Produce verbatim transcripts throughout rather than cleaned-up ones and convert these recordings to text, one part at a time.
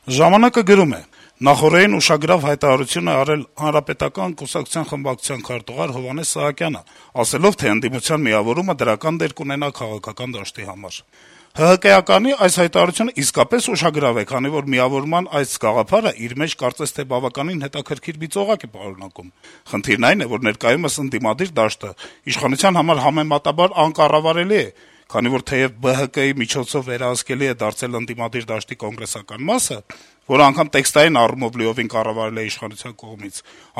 «Ժամանակ»-ը գրում է. - «Նախօրեին ուշագրավ հայտարարություն է արել Հանրապետական կուսակցության խմբակցության քարտուղար Հովհաննես Սահակյանը, ասելով, թե ընդդիմության միավորումը դրական դեր կունենա քաղաքական դաշտի համար: ՀՀԿ-ականի այս հայտարարությունը իսկապես ուշագրավ է, քանի որ միավորման այս գաղափարը իր մեջ կարծես թե բավականին հետաքրքիր մի ծողակ է պարունակում: Խնդիրն այն է, որ ներկայումս ընդդիմադիր դաշտը իշխանության համար համեմատաբար անկառավարելի է, քանի որ թեեւ ԲՀԿ-ի միջոցով վերահսկելի է դարձել ընդդիմադիր դաշտի կոնգրեսական մասը, որը անգամ տեքստային առումով լիովին կառավարել է իշխանության կողմից,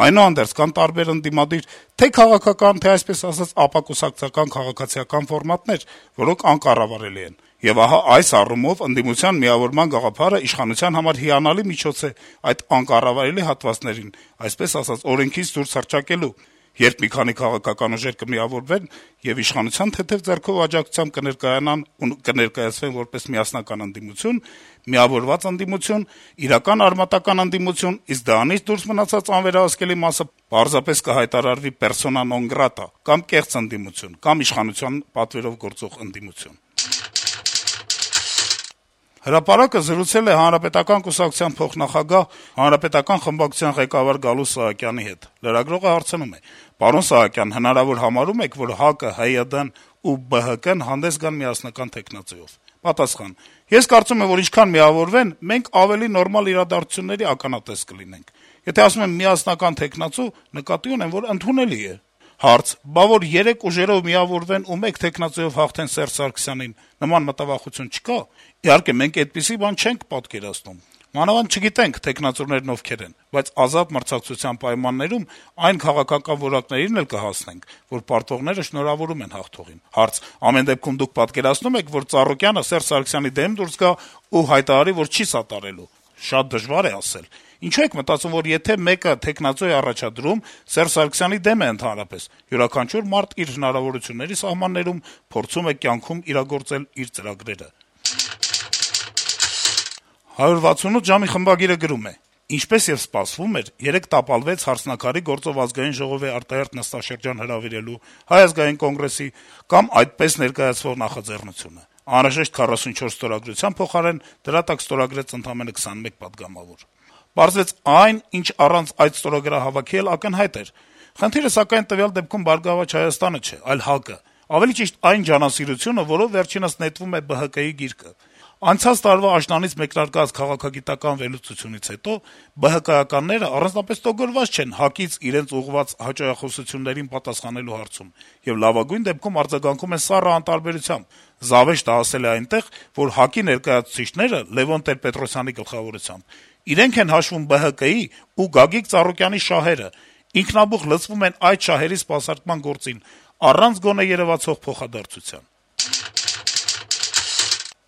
այնուհանդերձ կան տարբեր ընդդիմադիր թե քաղաքական, թե այսպես ասած ապակուսակցական քաղաքացիական ֆորմատներ, որոնք անկառավարելի են: Եվ ահա այս առումով ընդդիմության միավորման գաղափարը իշխանության համար հիանալի միջոց է այդ անկառավարելի հատվածներին, այսպես ասած, օրենքից դուրս հռչակելու, երբ մի քանի քաղաքական ուժեր կմիավորվեն եւ իշխանության թեթեւ ձեռքով աջակցությամբ կներկայանան ու կներկայացվեն որպես միասնական ընդդիմություն, միավորված ընդդիմություն, իրական արմատական ընդդիմություն, իսկ դրանից դուրս մնացած անվերահսկելի մասը պարզապես կհայտարարվի persona non grata կամ կեղծ ընդդիմություն, կամ իշխանության պատվերով գործող ընդդիմություն»: «Հրապարակ»-ը զրուցել է Հանրապետական կուսակցության փոխնախագահ, Հանրապետական խմբակցության ղեկավար Գալուստ Սահակյանի հետ: Լրագրողը հարցնում է. - «Պարոն Սահակյան, հնարավոր համարո՞մ եք, որ ՀԱԿ-ը, ՀՅԴ-ն ու ԲՀԿ-ն հանդես գան միասնական թեկնածուով»: Պատասխան. - «Ես կարծում եմ, որ ինչքան միավորվեն, մենք ավելի նորմալ իրադարձությունների ականատես կլինենք: Եթե ասում եմ միասնական թեկնածու, նկատի ունեմ, որ ընդունելի է»: Հարց. - «Բա որ երեք ուժերով միավորվեն ու մեկ թեկնածուով հաղթեն Սերժ Սարգսյանին, նման մտավախություն չկա»: Իհարկե, մենք այդպիսի բան չենք պատկերացնում: Մանավանդ չգիտենք թեկնածուներն ովքեր են, բայց ազատ մրցակցության պայմաններում այն քաղաքական որակներին էլ կհասնենք, որ պարտվողները շնորհավորում են հաղթողին»: Հարց. - «Ամեն դեպքում դուք պատկերացնո՞ւմ եք, որ Ծառուկյանը Սերժ Սարգսյանի դեմ դուրս գա ու հայտարարի, որ չի սատարելու»: Շատ դժվար է ասել: Ինչո՞ւ եք մտածում, որ եթե մեկը թեկնածու է առաջադրում, Սերժ Սարգսյանի դեմ է ընդհանրապես: Յուրաքանչյուր մարդ իր հնարավորությունների սահմաններում փորձում է կյանքում իրագործել իր ծրագրերը»: «հարյուր վաթսունութ ժամ»-ի խմբագիրը գրում է. - «Ինչպես եւ սպասվում էր, երեկ տապալվեց Հարսնաքարի գործով Ազգային ժողովի արտահերթ նստաշրջան հրավիրելու, Հայ ազգային կոնգրեսի կամ այդպես ներկայացվող նախաձեռնությունը: Անհրաժեշտ քառասունչորս ստորագրության փոխարեն դրա տակ ստորագրեց ընդամենը քսանմեկ պատգամավոր: Պարզվեց, այն, ինչ առանց այդ ստորագրահավաքի էլ ակնհայտ էր: Խնդիրը, սակայն, տվյալ դեպքում «Բարգավաճ Հայաստանը» չէ, այլ ՀԱԿ-ը, ավելի ճիշտ այն ջանասիրությունը, որով վերջինս նետվում է ԲՀԿ-ի գիրկը: Անցած տարվա աշնանից մեկնարկած քաղաքագիտական վերլուծությունից հետո ԲՀԿ-ականները առանձնապես տոգորված չեն ՀԱԿ-ից իրենց ուղղված հաճոյախոսություններին պատասխանելու հարցում եւ լավագույն դեպքում արձագանքում են սառը անտարբերությամբ: Զավեշտը հասել է այնտեղ, որ ՀԱԿ-ի ներկայացուցիչները Լեւոն Տեր-Պետրոսյանի գլխավորությամբ իրենք են հաշվում ԲՀԿ-ի ու Գագիկ Ծառուկյանի շահերը, ինքնաբուխ լծվում են այդ շահերի սպասարկման գործին, առանց գոնե երեւացող փոխադարձության»: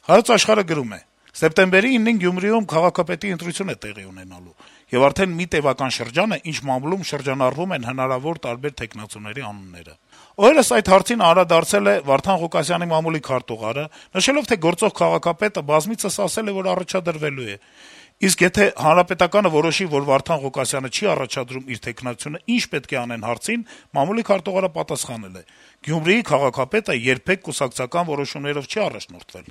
«Հայոց Աշխարհ»-ը գրում է. - «Սեպտեմբերի ինին Գյումրիում քաղաքապետի ընտրություն է տեղի ունենալու, եւ արդեն մի տեւական շրջան է, ինչ մամուլում շրջանառվում են հնարավոր տարբեր թեկնածուների անունները: Օրերս այդ հարցին անդրադարձել է Վարդան Ղուկասյանի մամուլի քարտուղարը, նշելով, թե գործող քաղաքապետը բազմիցս ասել է, որ առաջադրվելու է: Իսկ եթե Հանրապետականը որոշի, որ Վարդան Ղուկասյանը չի առաջադրում իր թեկնածությունը, ի՞նչ պետք է անեն հարցին մամուլի քարտուղարը պատասխանել է. Գյումրիի քաղաքապետը երբեք կուսակցական որոշումներով չի առաջնորդվել: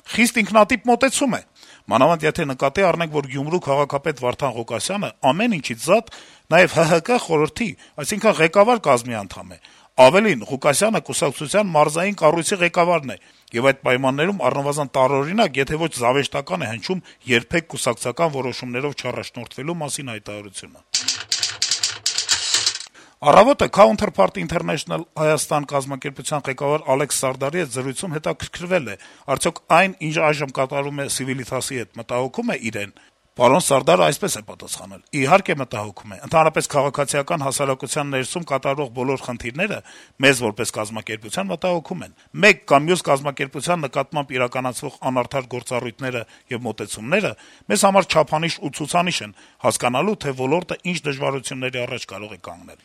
Խիստ ինքնատիպ մոտեցում է: Մանավանդ եթե նկատի առնենք, որ Գյումրու քաղաքապետ Վարդան Ղուկասյանը ամեն ինչից զատ նաեւ ՀՀԿ խորհրդի, այսինքն ղեկավար կազմի անդամ է: Ավելին, Ղուկասյանը կուսակցության մարզային կառույցի ղեկավարն է, եւ այդ պայմաններում առնվազն տարօրինակ, եթե ոչ զավեշտական է հնչում երբեք կուսակցական որոշումներով չառաջնորդվելու մասին հայտարարությունը»: «Առավոտ»-ը Counterpart International Հայաստան կազմակերպության ղեկավար Ալեքս Սարդարի հետ զրույցում հետաքրքրվել է. արդյոք այն, ինչ այժմ կատարվում է Civitas-ի հետ, մտահոգո՞ւմ է իրեն: Պարոն Սարդարը այսպես է պատասխանել. - «Իհարկե մտահոգում է: Ընդհանրապես քաղաքացիական հասարակության ներսում կատարվող բոլոր խնդիրները մեզ որպես կազմակերպության մտահոգում են: Մեկ կամ մյուս կազմակերպության նկատմամբ իրականացվող անարդար գործառույթները եւ մոտեցումները մեզ համար չափանիշ ու ցուցանիշ են՝ հասկանալու, թե ոլորտը ինչ դժվարությունների առաջ կարող է կանգնել»: